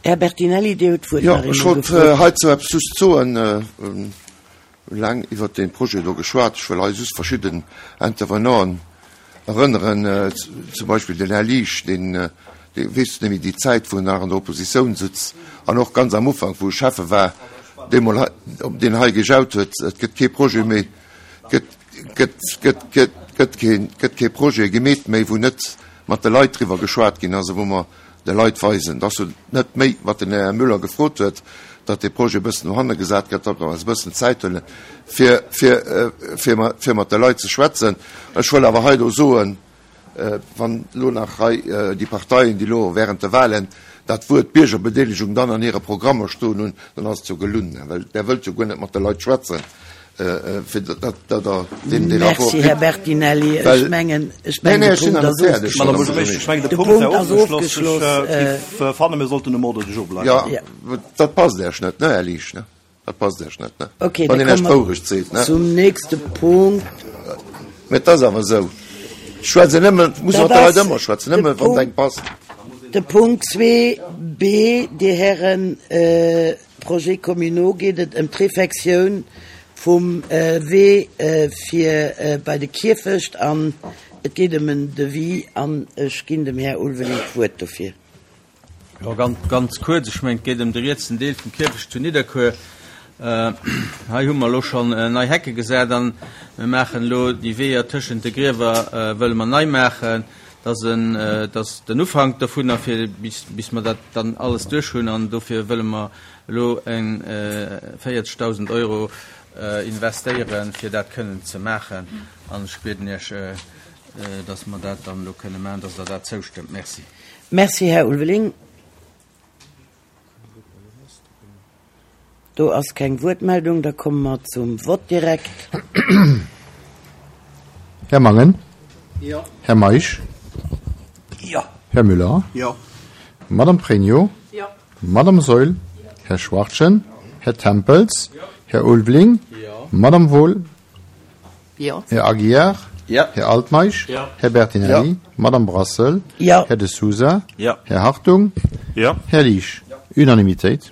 Här Bertinelli, Dir hutt d'Wuert Jo, nach ech eemol wollt gefrot. heizou eppes just soen. Hunn laang iwwert dee Projet do geschwat. Ech wëll hei just verschidden Intervenanten erënneren, zum Beispill den Här Liesch, deen, dee weess net méi déi Zäit, wou en nach an der Oppositioun sutz an och ganz am Ufank, wou e Schäffe war, deemol hei, deen hei gejaut huet, et gëtt kee Projet méi, gëtt, gëtt, gëtt, gëtt, gëtt keen, gëtt kee Projet gemeet méi, wou net mat de Leit driwwer geschwat ginn ass a wou mer de Leit weisen, dass se net méi, wat den Här Müller gefrot huet, datt dee Projet e bëssen no hanne gesat gëtt, datt mer eis e bëssen Zäit huelen, fir, fir, fir, fir mat de Leit ze schwätzen. Ech wëll awer hei elo soen, wann elo nach hei déi Parteien, déi elo während de Wahlen dat Wuert Biergerbedeelegung dann an hire Programmer stoen hunn, dann ass et jo gelunn, well Der wëllt jo guer net mat de Leit schwätzen. Fir datt Der deen dee Rapport Merci, Här kritt. Bertinelli. Ech Well, mengen, ech nee, mengen, nee, de ech sinn Punkt nach ass net fäerdeg, ofgeschloss. Madame Buergermeeschtesch. Ech mengen, de De Punkt wär Punkt ass ofgeschloss. ofgeschloss. Ech géif fannen, mir sollten um Ordre du jour bleiwen. Ja, Ja. dat passt Iech net, ne, Här Liesch, ne? Dat passt Iech net, ne? Okay, Wann da een Iech komme mer d'Wourecht seet, ne? zum nächste Punkt. Mä et ass awer esou. Ech schwätzen nëmmen, muss Dat mat de Leit ass ëmmer schwätzen, de nëmme wann et Punkt, engem passt. de Punkt 2b, Dir Hären, Projets communaux, geet et ëm d'Refectioun vum Wee fir bei de Kierfecht an et geet ëm en Devis an ech ginn dem Här Ulveling d'Wuert dofir. Jo, ganz kuerz, ech mengen, et geet ëm de rietsen Deel vum Kierfecht zu Nidderkuer. Hei hu mer elo schonn nei Hecke gesat an mir maachen elo déi Weeër tëschent de Griewer wëlle mer nei maachen. Dat ass en, dat ass den Ufank dovunner, fir bis, bis mer dat dann alles duerch hunn an dofir wëlle mer elo eng 40.000 Euro investéieren, fir dat kënnen ze maachen. An ech bieden Iech, dass mer dat dann elo kënne maachen, dass Der dat zoustëmmt. Merci. Merci, Här Ulveling. Do ass keng Wuertmeldung, da komme mer zum Vott direkt. Här Mangen. Jo. Här Meisch. Jo. Här Müller. Jo. Madame Pregno. Jo. Madame Saeul. Här Schwachtgen. Här Tempels. Här Ulveling. Jo. Madame Wohl. Jo. Här Aguiar. Jo. Här Altmeisch. Jo. Här Bertinelli. Jo. Madame Brassel. Jo. Här De Sousa. Jo. Här Hartung. Jo. Här Liesch. Unanimitéit.